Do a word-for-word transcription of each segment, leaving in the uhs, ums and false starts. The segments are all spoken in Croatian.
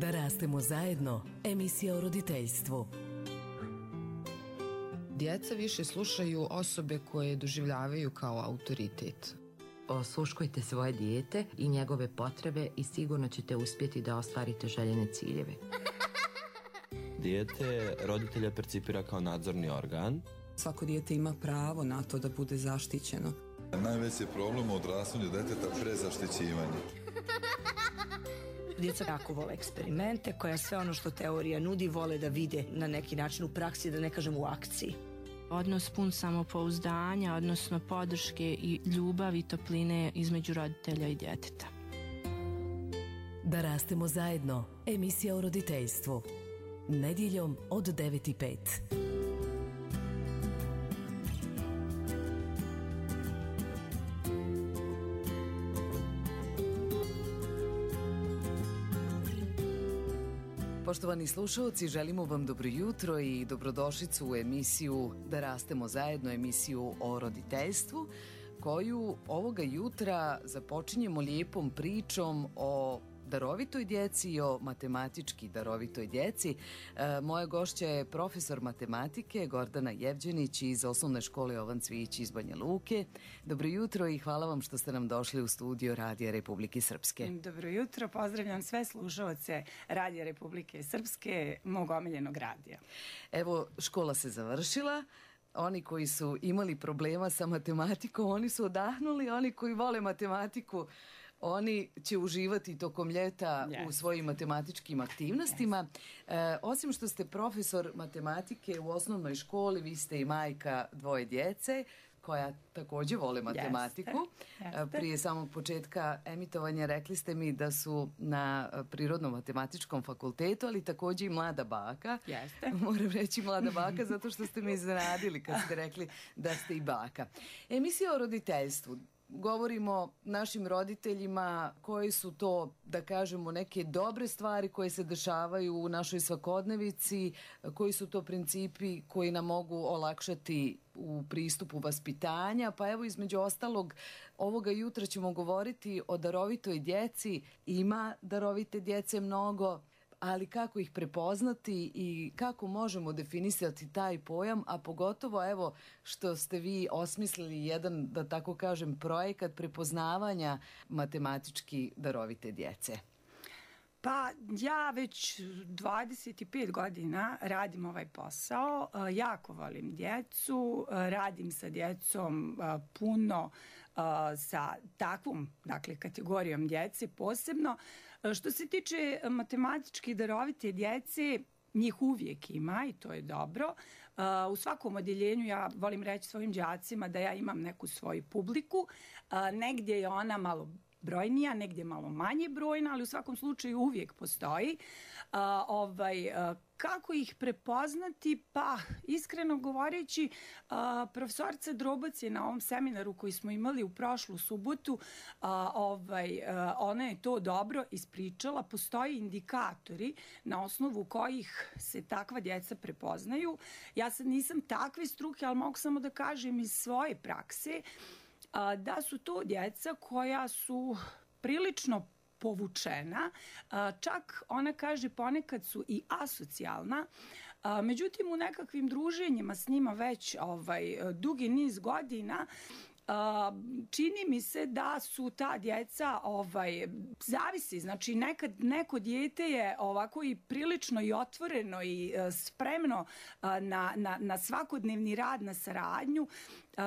Da rastemo zajedno, emisija o roditeljstvu. Djeca više slušaju osobe koje doživljavaju kao autoritet. Osluškujte svoje dijete i njegove potrebe i sigurno ćete uspjeti da ostvarite željene ciljeve. Dijete roditelja percipira kao nadzorni organ. Svako dijete ima pravo na to da bude zaštićeno. Najveći je problem u odrastanju djeteta prezaštićivanje. Djeca jako vole eksperimente, koja sve ono što teorija nudi vole da vide na neki način u praksi, da ne kažem u akciji. Odnos pun samopouzdanja, odnosno podrške i ljubavi i topline između roditelja i djeteta. Da rastemo zajedno, emisija o roditeljstvu. Nedjeljom od devet i pet. Poštovani slušalci, želimo vam dobro jutro i dobrodošlicu u emisiju Da rastemo zajedno, emisiju o roditeljstvu, koju ovoga jutra započinjemo lijepom pričom o darovitoj djeci i o matematički darovitoj djeci. E, moja gošća je profesor matematike Gordana Jevđenić iz osnovne škole Jovan Cvijić iz Banja Luke. Dobro jutro i hvala vam što ste nam došli u studio Radija Republike Srpske. Dobro jutro, pozdravljam sve slušalce Radija Republike Srpske, mog omiljenog radija. Evo, škola se završila. Oni koji su imali problema sa matematikom, oni su odahnuli, oni koji vole matematiku, oni će uživati tokom ljeta yes. u svojim matematičkim aktivnostima. Yes. E, osim što ste profesor matematike u osnovnoj školi, vi ste i majka dvoje djece koja također vole matematiku. Jeste, jeste. Prije samog početka emitovanja rekli ste mi da su na Prirodno-matematičkom fakultetu, ali također i mlada baka. Jeste. Moram reći mlada baka zato što ste me iznenadili kad ste rekli da ste i baka. Emisija o roditeljstvu. Govorimo našim roditeljima koji su to, da kažemo, neke dobre stvari koje se dešavaju u našoj svakodnevici, koji su to principi koji nam mogu olakšati u pristupu vaspitanja. Pa evo, između ostalog, ovoga jutra ćemo govoriti o darovitoj djeci. Ima darovite djece mnogo, ali kako ih prepoznati i kako možemo definisati taj pojam, a pogotovo evo što ste vi osmislili jedan, da tako kažem, projekat prepoznavanja matematički darovite djece. Pa ja već dvadeset pet godina radim ovaj posao, jako volim djecu, radim sa djecom puno, sa takvom, dakle, kategorijom djece posebno. Što se tiče matematički darovite djece, njih uvijek ima i to je dobro. U svakom odjeljenju ja volim reći svojim đacima da ja imam neku svoju publiku, negdje je ona malo brojnija, negdje malo manje brojna, ali u svakom slučaju uvijek postoji. Uh, ovaj, uh, kako ih prepoznati? Pa, iskreno govoreći, uh, profesorica Drobac je na ovom seminaru koji smo imali u prošlu subotu, uh, ovaj, uh, ona je to dobro ispričala. Postoji indikatori na osnovu kojih se takva djeca prepoznaju. Ja sad nisam takve struke, ali mogu samo da kažem iz svoje prakse da su to djeca koja su prilično povučena, čak ona kaže ponekad su i asocijalna, međutim u nekakvim druženjima s njima već ovaj, dugi niz godina čini mi se da su ta djeca ovaj, zavisi, znači nekad neko dijete je ovako i prilično i otvoreno i spremno na, na, na svakodnevni rad, na saradnju,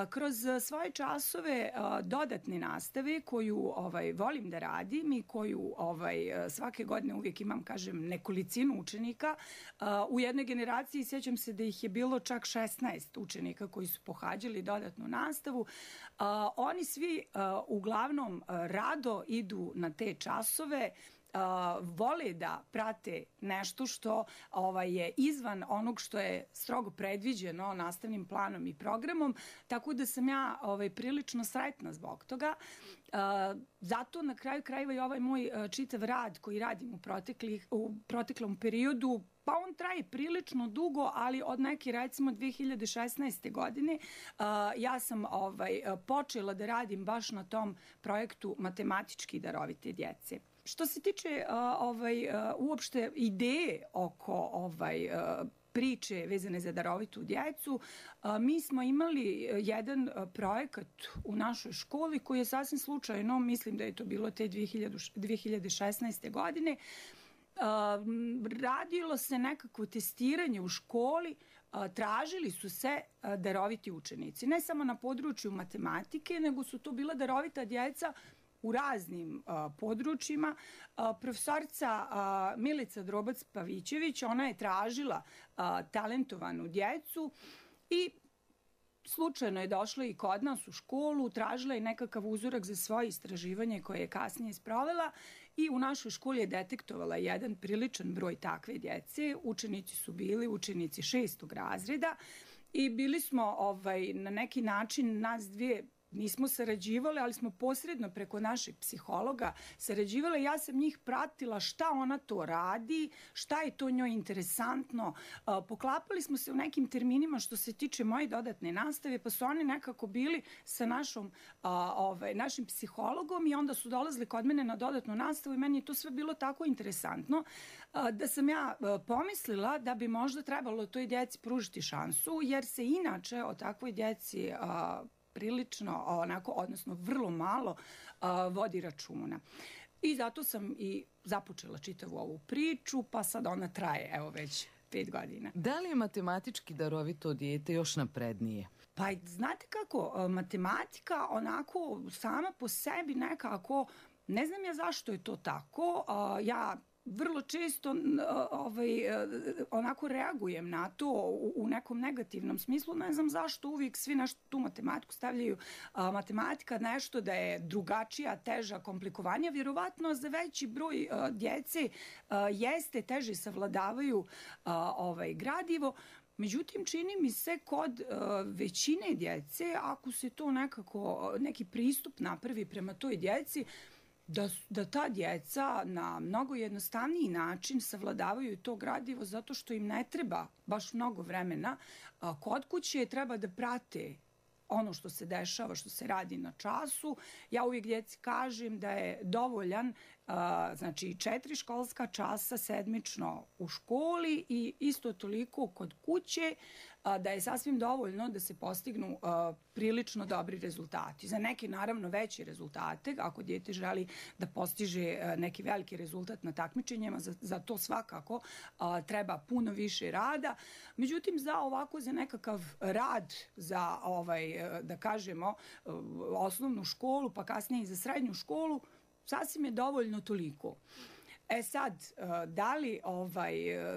kroz svoje časove dodatne nastave koju ovaj, volim da radim i koju ovaj, svake godine uvijek imam, kažem, nekolicinu učenika. U jednoj generaciji sjećam se da ih je bilo čak šesnaest učenika koji su pohađali dodatnu nastavu. Uh, oni svi uh, uglavnom uh, rado idu na te časove, uh, vole da prate nešto što ovaj, je izvan onog što je strogo predviđeno nastavnim planom i programom, tako da sam ja ovaj, prilično sretna zbog toga. Uh, zato na kraju krajeva i ovaj moj uh, čitav rad koji radim u, proteklih, u proteklom periodu Pa on traje prilično dugo, ali od neke recimo dve hiljade šesnaeste. godine uh, ja sam ovaj, počela da radim baš na tom projektu matematički darovite djece. Što se tiče uh, ovaj, uh, uopšte ideje oko ovaj, uh, priče vezane za darovitu djecu, uh, mi smo imali jedan uh, projekat u našoj školi koji je sasvim slučajno, mislim da je to bilo te dve hiljade šesnaeste. godine, Uh, radilo se nekako testiranje u školi, uh, tražili su se uh, daroviti učenici. Ne samo na području matematike, nego su to bila darovita djeca u raznim uh, područjima. Uh, profesorica uh, Milica Drobac-Pavićević, ona je tražila uh, talentovanu djecu i slučajno je došla i kod nas u školu, tražila je nekakav uzorak za svoje istraživanje koje je kasnije sprovela i u našoj školi je detektovala jedan priličan broj takve djece. Učenici su bili učenici šestog razreda i bili smo ovaj, na neki način nas dvije nismo sarađivale, ali smo posredno preko našeg psihologa sarađivale. Ja sam njih pratila šta ona to radi, šta je to njoj interesantno. Poklapali smo se u nekim terminima što se tiče moje dodatne nastave, pa su oni nekako bili sa našom, ovaj, našim psihologom i onda su dolazili kod mene na dodatnu nastavu i meni je to sve bilo tako interesantno da sam ja pomislila da bi možda trebalo toj djeci pružiti šansu, jer se inače o takvoj djeci prilično, onako, odnosno vrlo malo uh, vodi računa. I zato sam i započela čitavu ovu priču, pa sad ona traje, evo već pet godina. Da li je matematički darovito dijete još naprednije? Pa znate kako, matematika onako sama po sebi nekako, ne znam ja zašto je to tako, uh, ja vrlo često ovaj, onako reagujem na to u, u nekom negativnom smislu. Ne znam zašto uvijek svi nešto tu matematiku stavljaju. A, matematika nešto da je drugačija, teža, komplikovanija. Vjerovatno za veći broj a, djece a, jeste teže savladavaju a, ovaj, gradivo. Međutim, čini mi se kod uh, većine djece, ako se to nekako, neki pristup napravi prema toj djeci, Da, da ta djeca na mnogo jednostavniji način savladavaju to gradivo zato što im ne treba baš mnogo vremena. Kod kuće treba da prate ono što se dešava, što se radi na času. Ja uvijek djeci kažem da je dovoljan a, znači četiri školska časa sedmično u školi i isto toliko kod kuće, a, da je sasvim dovoljno da se postignu a, prilično dobri rezultati. Za neke naravno veće rezultate, ako dijete želi da postiže a, neki veliki rezultat na takmičenjima, za, za to svakako a, treba puno više rada. Međutim, za ovako, za nekakav rad, za ovaj, da kažemo, osnovnu školu, pa kasnije i za srednju školu, sasvim je dovoljno toliko. E sad, da li, ovaj,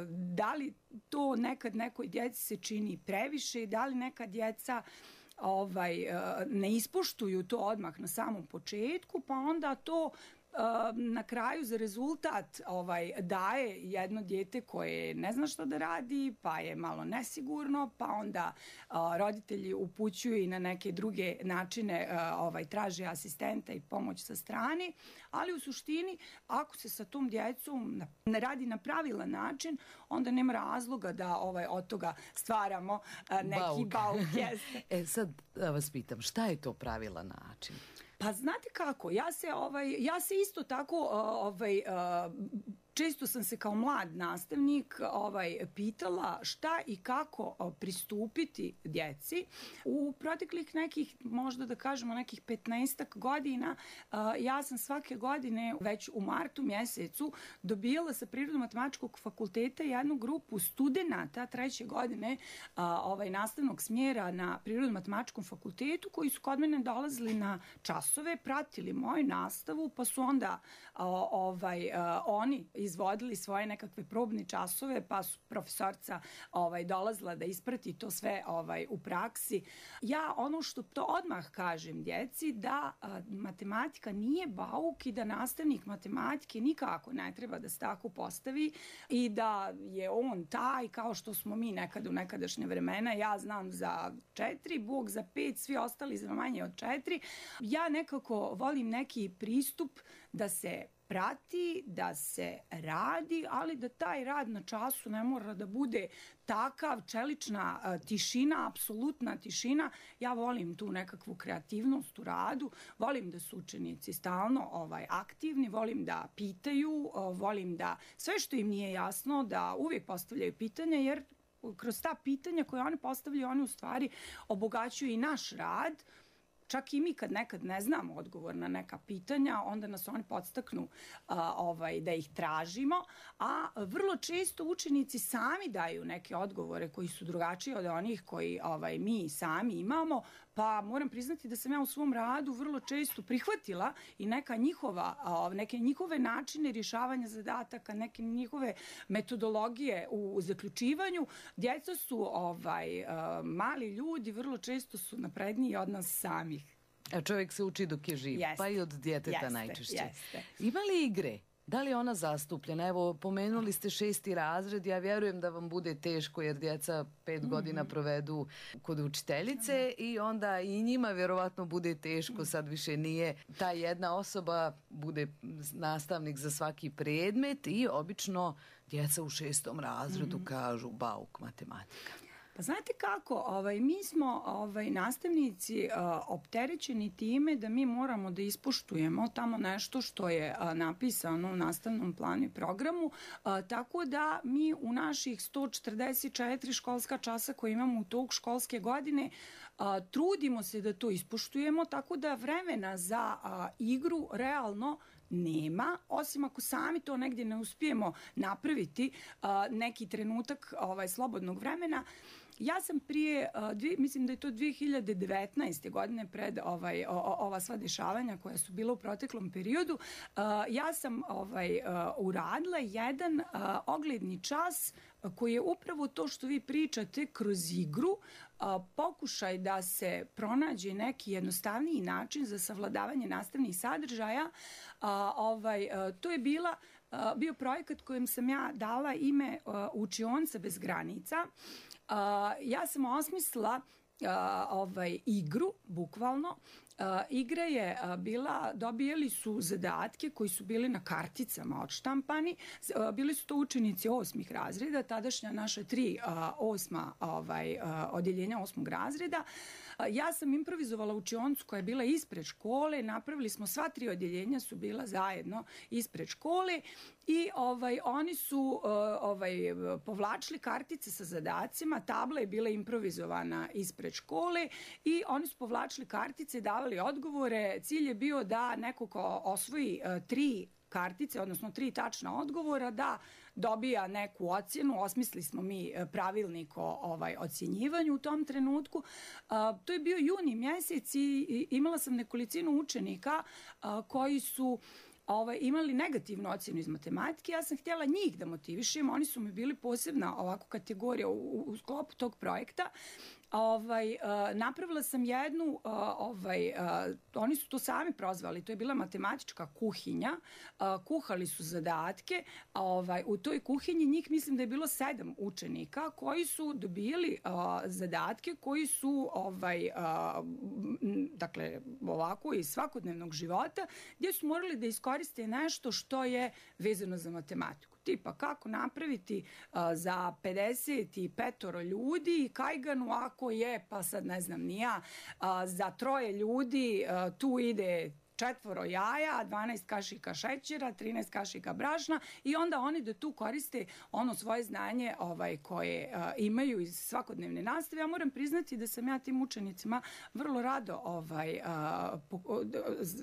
da li to nekad nekoj djeci se čini previše, da li neka djeca ovaj, ne ispoštuju to odmah na samom početku, pa onda to na kraju za rezultat ovaj, daje jedno dijete koje ne zna što da radi, pa je malo nesigurno, pa onda a, roditelji upućuju i na neke druge načine, a, ovaj, traže asistenta i pomoć sa strane, ali u suštini ako se sa tom djecom ne radi na pravilan način, onda nema razloga da ovaj, od toga stvaramo a, neki bauk. bauk jeste. E sad da vas pitam, šta je to pravilan način? Pa znate kako, ja se, ovaj, ja se isto tako, ovaj, često sam se kao mlad nastavnik ovaj, pitala šta i kako pristupiti djeci. U proteklih nekih, možda da kažemo nekih petnaestak godina, ja sam svake godine već u martu mjesecu dobijala sa Prirodno-matematičkog fakulteta jednu grupu studenata treće godine ovaj, nastavnog smjera na Prirodno-matematičkom fakultetu koji su kod mene dolazili na časove, pratili moju nastavu, pa su onda ovaj, oni izvodili svoje nekakve probne časove, pa su profesorca ovaj, dolazila da isprati to sve ovaj, u praksi. Ja ono što to odmah kažem djeci, da a, matematika nije bauk i da nastavnik matematike nikako ne treba da se tako postavi i da je on taj kao što smo mi nekad u nekadašnje vremena. Ja znam za četiri, Bog za pet, svi ostali za manje od četiri. Ja nekako volim neki pristup da se prati, da se radi, ali da taj rad na času ne mora da bude takav, čelična a, tišina, apsolutna tišina. Ja volim tu nekakvu kreativnost u radu, volim da su učenici stalno ovaj, aktivni, volim da pitaju, o, volim da sve što im nije jasno, da uvijek postavljaju pitanja, jer kroz ta pitanja koje oni postavljaju, oni u stvari obogaćuju i naš rad. Čak i mi kad nekad ne znamo odgovor na neka pitanja, onda nas oni podstaknu a, ovaj, da ih tražimo, a vrlo često učenici sami daju neke odgovore koji su drugačiji od onih koji ovaj, mi sami imamo, pa moram priznati da sam ja u svom radu vrlo često prihvatila i neka njihova, a, neke njihove načine rješavanja zadataka, neke njihove metodologije u, u zaključivanju. Djeca su ovaj, a, mali ljudi, vrlo često su napredniji od nas sami. A čovjek se uči dok je živ, Jeste. pa i od djeteta Jeste, najčešće. jeste. Ima li igre? Da li je ona zastupljena? Evo, pomenuli ste šesti razred, ja vjerujem da vam bude teško jer djeca pet mm-hmm. godina provedu kod učiteljice i onda i njima vjerovatno bude teško, sad više nije ta jedna osoba, bude nastavnik za svaki predmet i obično djeca u šestom razredu mm-hmm. kažu bauk matematika. Pa znate kako, ovaj, mi smo ovaj, nastavnici a, opterećeni time da mi moramo da ispoštujemo tamo nešto što je a, napisano u nastavnom planu i programu, a, tako da mi u naših sto četrdeset četiri školska časa koje imamo u tog školske godine a, trudimo se da to ispoštujemo, tako da vremena za a, igru realno nema, osim ako sami to negdje ne uspijemo napraviti a, neki trenutak ovaj, slobodnog vremena. Ja sam prije, dvije, mislim da je to dvije hiljade devetnaeste. godine pred ovaj, o, ova sva dešavanja koja su bila u proteklom periodu, ja sam ovaj, uradila jedan ogledni čas koji je upravo to što vi pričate kroz igru, pokušaj da se pronađe neki jednostavniji način za savladavanje nastavnih sadržaja. Ovaj, to je bila bio projekat kojem sam ja dala ime Učionica bez granica. Uh, ja sam osmislila uh, ovaj, igru, bukvalno. Uh, igra je uh, bila, dobijali su zadatke koji su bili na karticama odštampani. Uh, bili su to učenici osmih razreda, tadašnja naša tri uh, osma ovaj, uh, odjeljenja osmog razreda. Uh, ja sam improvizovala učioncu koja je bila ispred škole, napravili smo sva tri odjeljenja su bila zajedno ispred škole. I ovaj, oni su uh, ovaj, povlačili kartice sa zadacima, tabla je bila improvizovana ispred škole i oni su povlačili kartice i davali odgovore. Cilj je bio da neko ko osvoji uh, tri kartice, odnosno tri tačna odgovora, da dobija neku ocjenu. Osmislili smo mi pravilnik o ovaj, ocjenjivanju u tom trenutku. Uh, to je bio juni mjesec i imala sam nekolicinu učenika uh, koji su Ovaj, imali negativnu ocjenu iz matematike. Ja sam htjela njih da motivišem. Oni su mi bili posebna ovako kategorija u, u sklopu tog projekta. Ovaj, uh, napravila sam jednu, uh, ovaj, uh, oni su to sami prozvali, to je bila matematička kuhinja, uh, kuhali su zadatke, ovaj, u toj kuhinji njih mislim da je bilo sedam učenika koji su dobijali uh, zadatke koji su ovaj, uh, dakle, ovako iz svakodnevnog života, gdje su morali da iskoriste nešto što je vezano za matematiku. Tipa kako napraviti uh, za pedeset pet ljudi kajganu ako je, pa sad ne znam ni ja, uh, za troje ljudi uh, tu ide četvoro jaja, dvanaest kašika šećera, trinaest kašika brašna i onda oni da tu koriste ono svoje znanje ovaj, koje uh, imaju iz svakodnevne nastave. Ja moram priznati da sam ja tim učenicima vrlo rado, ovaj, uh, po, uh,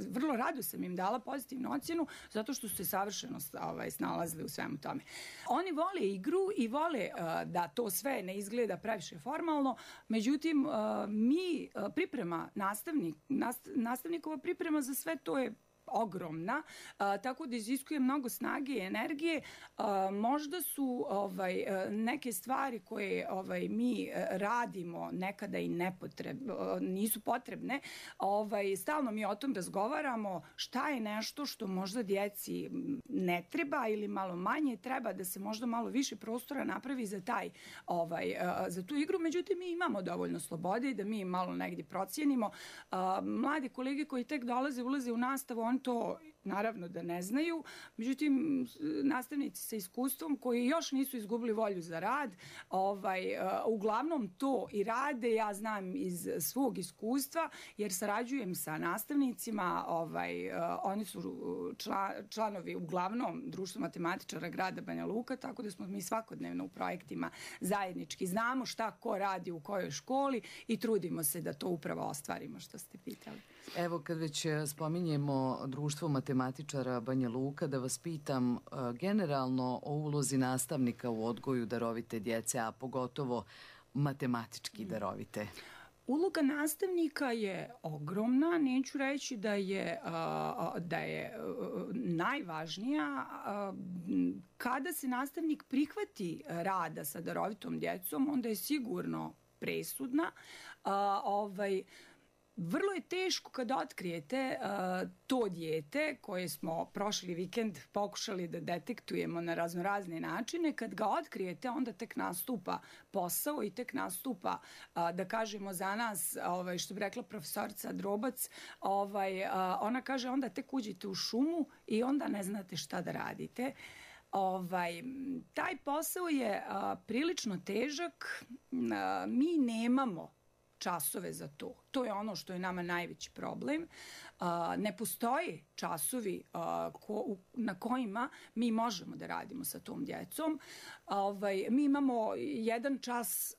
vrlo rado sam im dala pozitivnu ocjenu zato što su se savršeno ovaj, snalazili u svemu tome. Oni vole igru i vole uh, da to sve ne izgleda previše formalno, međutim uh, mi uh, priprema nastavnik, nast, nastavnikova priprema za sve to je ogromna, a, tako da iziskuje mnogo snage i energije. A, možda su ovaj, neke stvari koje ovaj, mi radimo nekada i nepotreb, nisu potrebne. Ovaj, stalno mi o tom razgovaramo šta je nešto što možda djeci ne treba ili malo manje treba, da se možda malo više prostora napravi za, taj, ovaj, za tu igru. Međutim, mi imamo dovoljno slobode da mi malo negdje procijenimo. A, mladi kolege koji tek dolaze, ulaze u nastavu, oni to naravno da ne znaju, međutim nastavnici sa iskustvom koji još nisu izgubili volju za rad, ovaj, uglavnom to i rade, ja znam iz svog iskustva, jer sarađujem sa nastavnicima, ovaj, oni su čla, članovi uglavnom Društva matematičara grada Banja Luka, tako da smo mi svakodnevno u projektima zajednički, znamo šta ko radi u kojoj školi i trudimo se da to upravo ostvarimo, što ste pitali. Evo, kad već spominjemo Društvo matematičara Banja Luka, da vas pitam generalno o ulozi nastavnika u odgoju darovite djece, a pogotovo matematički darovite. Uloga nastavnika je ogromna, neću reći da je, da je najvažnija. Kada se nastavnik prihvati rada sa darovitom djecom, onda je sigurno presudna. Ovaj, Vrlo je teško kada otkrijete uh, to dijete koje smo prošli vikend pokušali da detektujemo na raznorazne načine. Kad ga otkrijete, onda tek nastupa posao i tek nastupa, uh, da kažemo za nas, ovaj, što bi rekla profesorica Drobac, ovaj, uh, ona kaže onda tek uđete u šumu i onda ne znate šta da radite. Ovaj, taj posao je uh, prilično težak. Uh, mi nemamo časove za to. To je ono što je nama najveći problem. Ne postoje časovi na kojima mi možemo da radimo sa tom djecom. Mi imamo jedan čas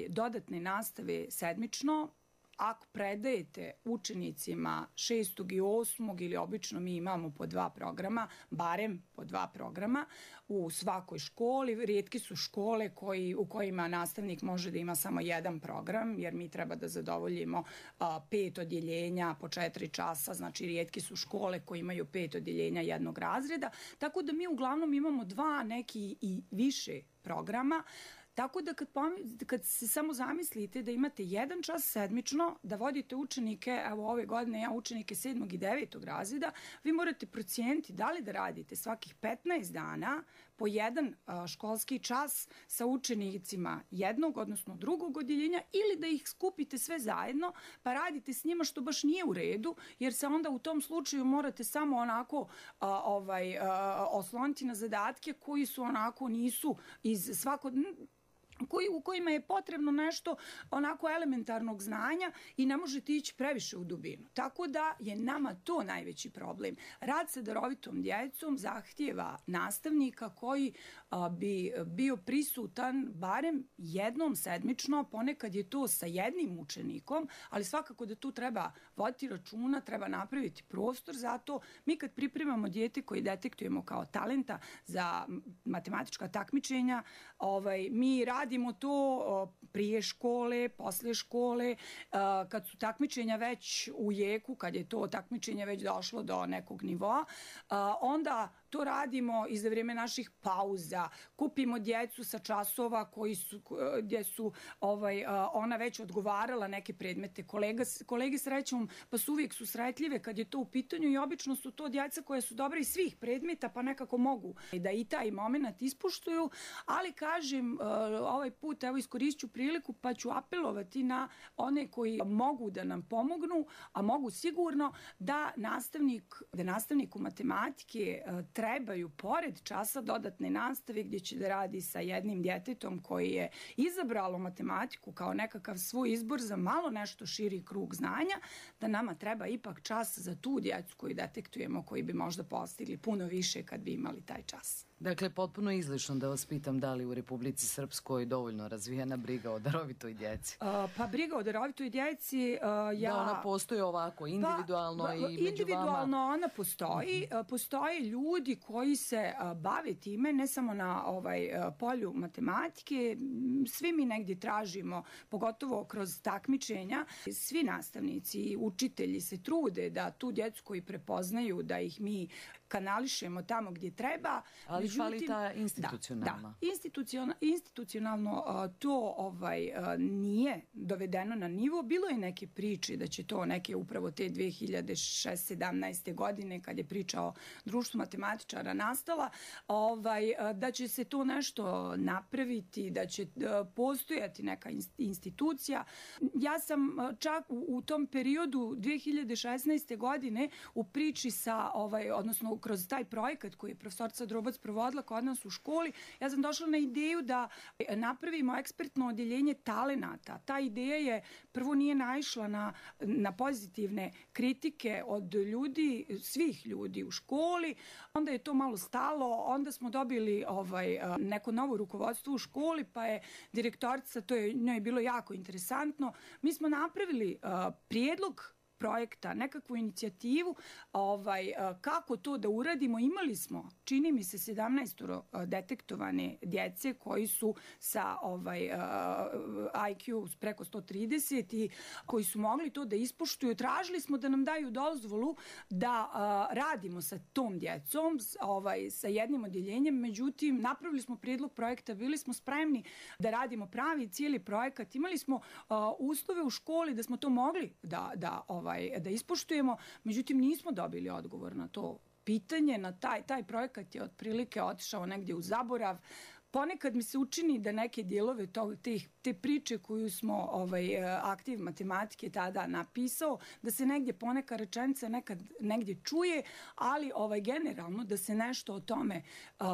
dodatne nastave sedmično. Ako predajete učenicima šestog i osmog ili obično mi imamo po dva programa, barem po dva programa u svakoj školi. Rijetki su škole koji, u kojima nastavnik može da ima samo jedan program, jer mi treba da zadovoljimo a, pet odjeljenja po četiri časa, znači rijetki su škole koji imaju pet odjeljenja jednog razreda, tako da mi uglavnom imamo dva, neki i više programa. Tako da kad, kad se samo zamislite da imate jedan čas sedmično, da vodite učenike, evo ove godine ja učenike sedmog i devetog razreda, vi morate procijeniti da li da radite svakih petnaest dana po jedan a, školski čas sa učenicima jednog, odnosno drugog odjeljenja, ili da ih skupite sve zajedno pa radite s njima, što baš nije u redu, jer se onda u tom slučaju morate samo onako a, ovaj, a, osloniti na zadatke koji su onako nisu iz svakog... Koji, u kojima je potrebno nešto onako elementarnog znanja i ne možete ići previše u dubinu. Tako da je nama to najveći problem. Rad sa darovitom djecom zahtijeva nastavnika koji a, bi bio prisutan barem jednom sedmično, ponekad je to sa jednim učenikom, ali svakako da tu treba voditi računa, treba napraviti prostor za to. Mi kad pripremamo dijete koji detektujemo kao talenta za matematička takmičenja, ovaj, mi radimo Radimo to prije škole, posle škole, kad su takmičenja već u jeku, kad je to takmičenje već došlo do nekog nivoa, onda to radimo i za vrijeme naših pauza. Kupimo djecu sa časova koji su, gdje su ovaj, ona već odgovarala neke predmete. Kolega, kolege srećom, pa su uvijek susretljive kad je to u pitanju i obično su to djeca koje su dobre iz svih predmeta, pa nekako mogu da i taj moment ispuštuju, ali kažem, ovaj put evo iskoristit ću priliku pa ću apelovati na one koji mogu da nam pomognu, a mogu sigurno da nastavnik, da nastavniku matematike trebaju pored časa dodatne nastave gdje će da radi sa jednim djetetom koji je izabralo matematiku kao nekakav svoj izbor za malo nešto širi krug znanja, da nama treba ipak čas za tu djecu koju detektujemo, koji bi možda postigli puno više kad bi imali taj čas. Dakle, potpuno izlišno da vas pitam da li u Republici Srpskoj dovoljno razvijena briga o darovitoj djeci. Uh, pa briga o darovitoj djeci, uh, ja... Da ona postoji ovako individualno pa, i među individualno vama? Ona postoji. Uh-huh. Postoje ljudi koji se uh, bave time, ne samo na ovaj, uh, polju matematike. Svi mi negdje tražimo, pogotovo kroz takmičenja, svi nastavnici i učitelji se trude da tu djecu koji prepoznaju, da ih mi kanališemo tamo gdje treba. Ali fali ta institucionalna. Da, da. Institucionalna, institucionalna institucionalno to ovaj, nije dovedeno na nivo. Bilo je neke priče da će to neke upravo te dve hiljade šesnaeste sedamnaeste godine, kad je priča o društvu matematičara nastala, ovaj, da će se to nešto napraviti, da će postojati neka institucija. Ja sam čak u, u tom periodu dve hiljade šesnaeste godine u priči sa, ovaj, odnosno kroz taj projekat koji je profesorca Drobac provodila kod nas u školi, ja sam došla na ideju da napravimo ekspertno odjeljenje talenata. Ta ideja je, prvo nije naišla na, na pozitivne kritike od ljudi, svih ljudi u školi, onda je to malo stalo, onda smo dobili ovaj, neko novo rukovodstvo u školi, pa je direktorica, to je njoj bilo jako interesantno, mi smo napravili uh, prijedlog projekta, nekakvu inicijativu ovaj, kako to da uradimo. Imali smo, čini mi se, sedamnaest detektovane djece koji su sa ovaj, I Q preko sto trideset i koji su mogli to da ispoštuju. Tražili smo da nam daju dozvolu da a, radimo sa tom djecom, ovaj, sa jednim odjeljenjem, međutim, napravili smo prijedlog projekta, bili smo spremni da radimo pravi cijeli projekat. Imali smo a, uslove u školi da smo to mogli da, da ovaj, da ispoštujemo, međutim nismo dobili odgovor na to pitanje, na taj, taj projekat je otprilike otišao negdje u zaborav. Ponekad mi se učini da neke dijelove tog, te, te priče koju smo ovaj, aktiv matematike tada napisao, da se negdje poneka rečenica nekad negdje čuje, ali ovaj, generalno da se nešto o tome, uh,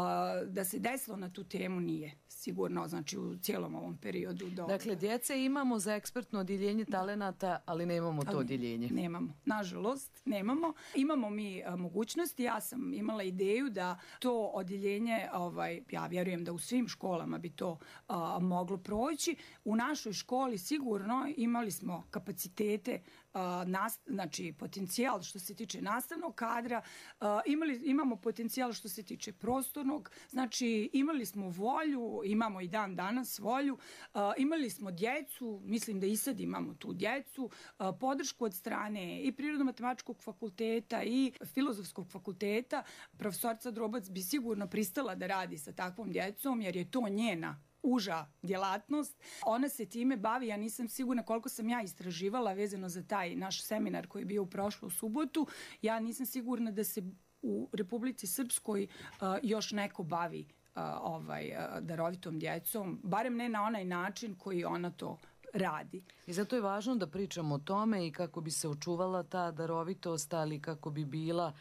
da se desilo na tu temu nije sigurno, znači u cijelom ovom periodu. Do... Dakle, djece imamo za ekspertno odjeljenje talenata, ali nemamo to ali, odjeljenje. Nemamo, nažalost, nemamo. Imamo mi a, mogućnosti, ja sam imala ideju da to odjeljenje, ovaj, ja vjerujem da u svim školama bi to a, moglo proći. U našoj školi sigurno imali smo kapacitete, a, nas, znači potencijal što se tiče nastavnog kadra, a, imali, imamo potencijal što se tiče prostornog, znači imali smo volju, imamo i dan danas volju, a, imali smo djecu, mislim da i sad imamo tu djecu, a, podršku od strane i Prirodno-matematičkog fakulteta i Filozofskog fakulteta. Profesorca Drobac bi sigurno pristala da radi sa takvom djecom, jer je to njena uža djelatnost. Ona se time bavi, ja nisam sigurna koliko sam ja istraživala vezano za taj naš seminar koji je bio u prošlu subotu, ja nisam sigurna da se u Republici Srpskoj uh, još neko bavi uh, ovaj, uh, darovitom djecom, barem ne na onaj način koji ona to radi. I zato je važno da pričamo o tome i kako bi se očuvala ta darovitost, ali kako bi bila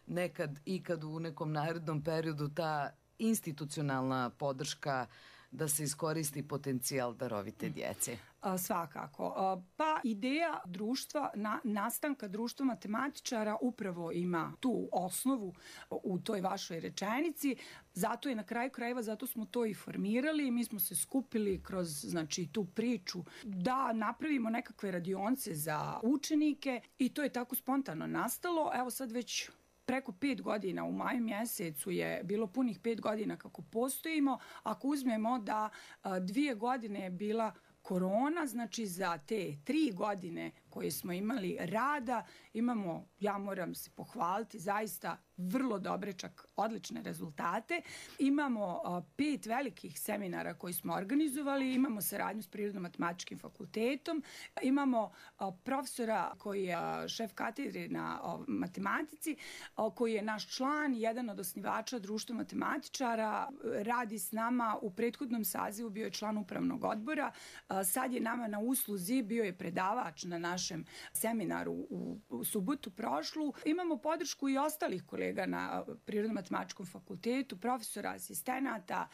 nekad ikad u nekom narednom periodu ta institucionalna podrška da se iskoristi potencijal darovite djece. A, svakako. A, pa ideja društva, na, nastanka društva matematičara upravo ima tu osnovu u toj vašoj rečenici. Zato je na kraju krajeva, zato smo to i formirali. Mi smo se skupili kroz znači, tu priču da napravimo nekakve radionce za učenike i to je tako spontano nastalo. Evo sad već preko pet godina, u maju mjesecu je bilo punih pet godina kako postojimo. Ako uzmemo da a, dvije godine je bila korona, znači za te tri godine koje smo imali rada, imamo, ja moram se pohvaliti, zaista vrlo dobre, čak odlične rezultate. Imamo a, pet velikih seminara koji smo organizovali, imamo saradnju s Prirodno-matematičkim fakultetom, imamo a, profesora koji je a, šef katedre na a, matematici, a, koji je naš član, jedan od osnivača društva matematičara, radi s nama u prethodnom sazivu, bio je član upravnog odbora, a, sad je nama na usluzi, bio je predavač na našem seminaru u, u subotu prošlu. Imamo podršku i ostalih kolega na Prirodno-matematičkom fakultetu, profesora, asistenata,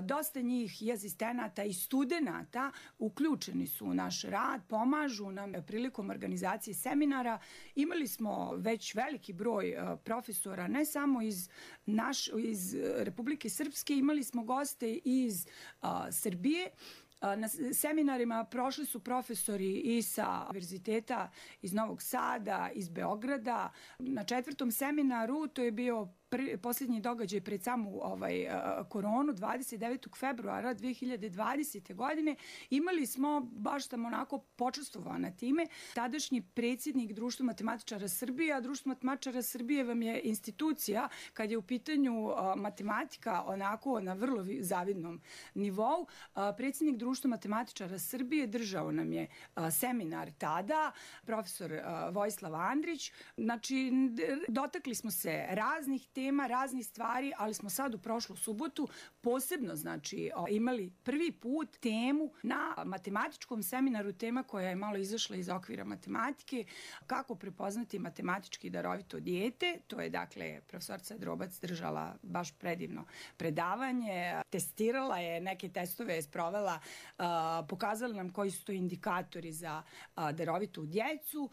dosta njih i asistenata i studenata uključeni su u naš rad, pomažu nam prilikom organizacije seminara. Imali smo već veliki broj profesora, ne samo iz, naš, iz Republike Srpske, imali smo goste iz a, Srbije. Na seminarima prošli su profesori i sa univerziteta iz Novog Sada, iz Beograda. Na četvrtom seminaru, to je bio pr, posljednji događaj pred samu ovaj, koronu, dvadeset devetog februara dve hiljade dvadesete. godine, imali smo baš tamo onako počastvovana time. Tadašnji predsjednik Društva matematičara Srbije, a Društvo matematičara Srbije vam je institucija kad je u pitanju a, matematika onako na vrlo zavidnom nivou. A, predsjednik Društva matematičara Srbije držao nam je a, seminar tada, profesor a, Vojislav Andrić. Znači, dotakli smo se raznih tema, raznih stvari, ali smo sad u prošlu subotu posebno, znači, imali prvi put temu na matematičkom seminaru, tema koja je malo izašla iz okvira matematike, kako prepoznati matematički darovito dijete. To je, dakle, profesorca Drobac držala baš predivno predavanje, testirala je, neke testove je sprovela, pokazala nam koji su to indikatori za darovitu djecu.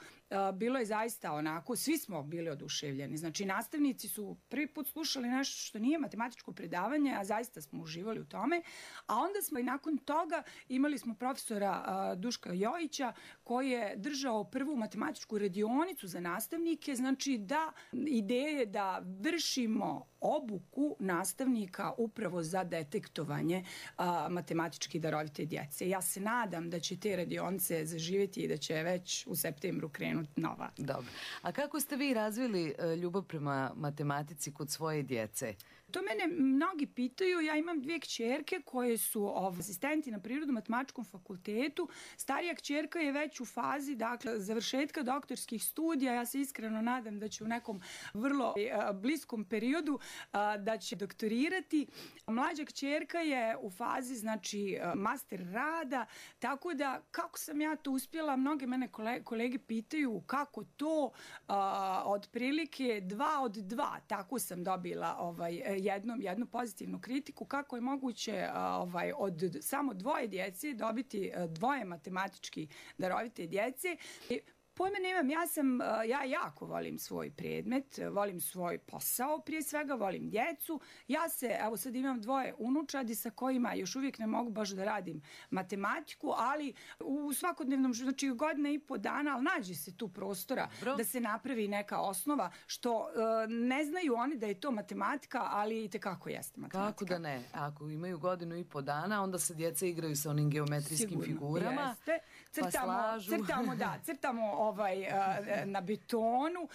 Bilo je zaista onako, svi smo bili oduševljeni. Znači, nastavnici su prvi put slušali nešto što nije matematičko predavanje, a zaista smo uživali u tome. A onda smo i nakon toga imali smo profesora a, Duška Jojića koji je držao prvu matematičku radionicu za nastavnike. Znači, da ideje da vršimo obuku nastavnika upravo za detektovanje a, matematički darovite djece. Ja se nadam da će te radionice zaživjeti i da će već u septembru krenuti nova. Dobro. A kako ste vi razvili ljubav prema matematici kod svoje djece? To mene mnogi pitaju. Ja imam dvije kćerke koje su ov, asistenti na Prirodno-matematičkom fakultetu. Starija kćerka je već u fazi, dakle, završetka doktorskih studija. Ja se iskreno nadam da će u nekom vrlo a, bliskom periodu a, da će doktorirati. Mlađa kćerka je u fazi, znači, a, master rada. Tako da, kako sam ja to uspjela, mnoge mene kolege, kolege pitaju kako to, a, otprilike dva od dva. Tako sam dobila ovaj, jednom, jednu pozitivnu kritiku, kako je moguće ovaj, od samo dvoje djece dobiti dvoje matematički darovite djece. Pojma nemam, ja sam, ja jako volim svoj predmet, volim svoj posao, prije svega volim djecu. Ja se, evo sad imam dvoje unučadi sa kojima još uvijek ne mogu baš da radim matematiku, ali u svakodnevnom, znači godina i po dana, ali nađe se tu prostora Bro. da se napravi neka osnova, što uh, ne znaju oni da je to matematika, ali i tekako jeste matematika. Kako da ne? Ako imaju godinu i po dana, onda se djeca igraju sa onim geometrijskim Sigurno, figurama. Jeste. Crtamo, pa slažu. crtamo, da, crtamo ovaj, na betonu,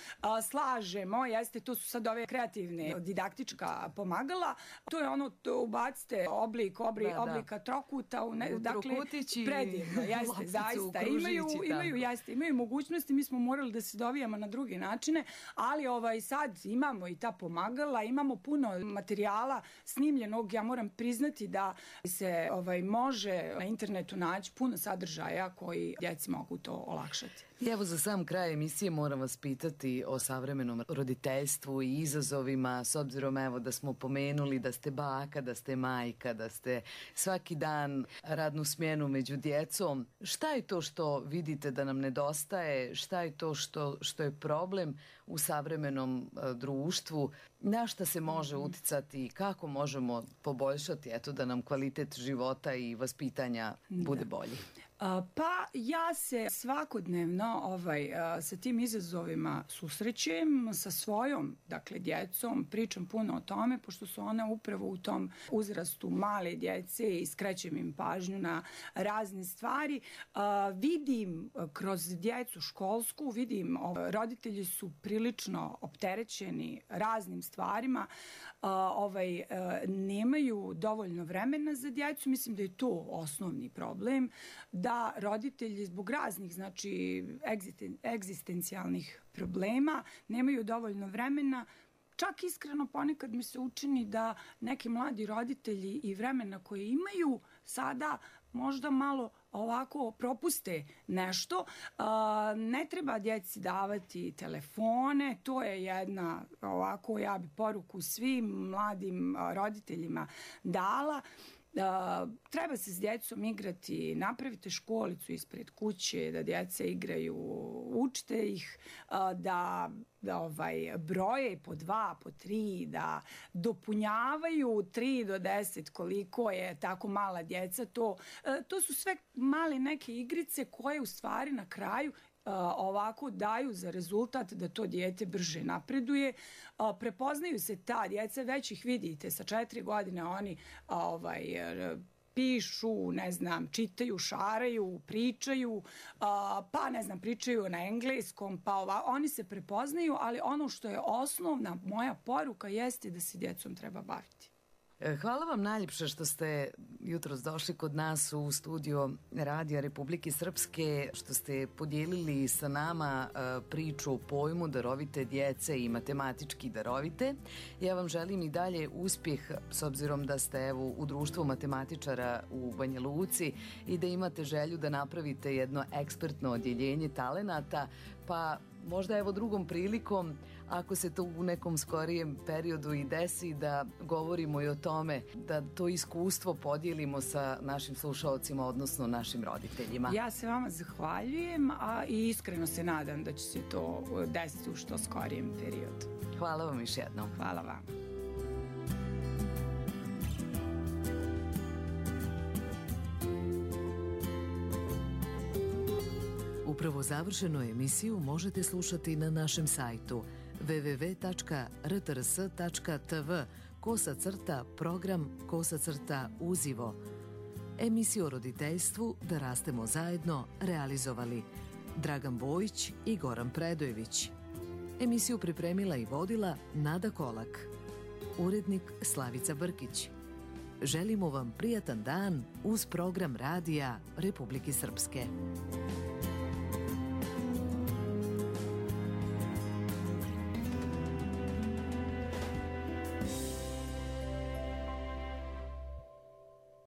slažemo, jeste, to su sad ove kreativne didaktička pomagala. To je ono, to ubacite oblik, oblik da, oblika da. trokuta, u ne, u dakle, trokutići, predivno, jeste, zaista. Imaju, imaju, jeste, imaju mogućnosti, mi smo morali da se dovijamo na druge načine, ali ovaj, sad imamo i ta pomagala, imamo puno materijala snimljenog, ja moram priznati da se ovaj, može na internetu naći puno sadržaja koji djeci mogu to olakšati. I evo za sam kraj emisije moram vas pitati o savremenom roditeljstvu i izazovima, s obzirom evo da smo pomenuli da ste baka, da ste majka, da ste svaki dan radnu smjenu među djecom. Šta je to što vidite da nam nedostaje? Šta je to što, što je problem u savremenom uh, društvu? Na šta se može uticati i kako možemo poboljšati eto, da nam kvalitet života i vaspitanja bude bolji? Pa ja se svakodnevno ovaj, sa tim izazovima susrećem sa svojom, dakle, djecom, pričam puno o tome, pošto su one upravo u tom uzrastu male djece i skrećem im pažnju na razne stvari. Vidim kroz djecu školsku, vidim roditelji su prilično opterećeni raznim stvarima, ovaj, nemaju dovoljno vremena za djecu, mislim da je to osnovni problem, da roditelji zbog raznih, znači, egzisten, egzistencijalnih problema nemaju dovoljno vremena. Čak iskreno ponekad mi se učini da neki mladi roditelji i vremena koje imaju sada možda malo ovako propuste nešto. Ne treba djeci davati telefone, to je jedna ovako, ja bi poruku svim mladim roditeljima dala. Uh, treba se s djecom igrati, napravite školicu ispred kuće, da djeca igraju, učite ih uh, da, da ovaj, broje po dva, po tri, da dopunjavaju tri do deset koliko je tako mala djeca. To, uh, to su sve male neke igrice koje u stvari na kraju ovako daju za rezultat da to dijete brže napreduje. Prepoznaju se ta djeca, već ih vidite, sa četiri godine oni ovaj, pišu, ne znam, čitaju, šaraju, pričaju, pa ne znam, pričaju na engleskom, pa ova, oni se prepoznaju, ali ono što je osnovna moja poruka jeste da se djecom treba baviti. Hvala vam najljepše što ste jutros došli kod nas u studio Radija Republike Srpske, što ste podijelili sa nama priču o pojmu darovite djece i matematički darovite. Ja vam želim i dalje uspjeh, s obzirom da ste evo u društvu matematičara u Banja Luci i da imate želju da napravite jedno ekspertno odjeljenje talenata, pa možda evo drugom prilikom, ako se to u nekom skorijem periodu i desi, da govorimo i o tome, da to iskustvo podijelimo sa našim slušalcima, odnosno našim roditeljima. Ja se vama zahvaljujem, a i iskreno se nadam da će se to desiti u što skorijem periodu. Hvala vam još jednom. Hvala vam. Upravo završenu emisiju možete slušati na našem sajtu w w w tačka r t r s tačka t v kosa crta program kosa crta uzivo. Emisiju o roditeljstvu Da rastemo zajedno realizovali Dragan Bojić i Goran Predojević. Emisiju pripremila i vodila Nada Kolak. Urednik Slavica Brkić. Želimo vam prijatan dan uz program Radija Republike Srpske.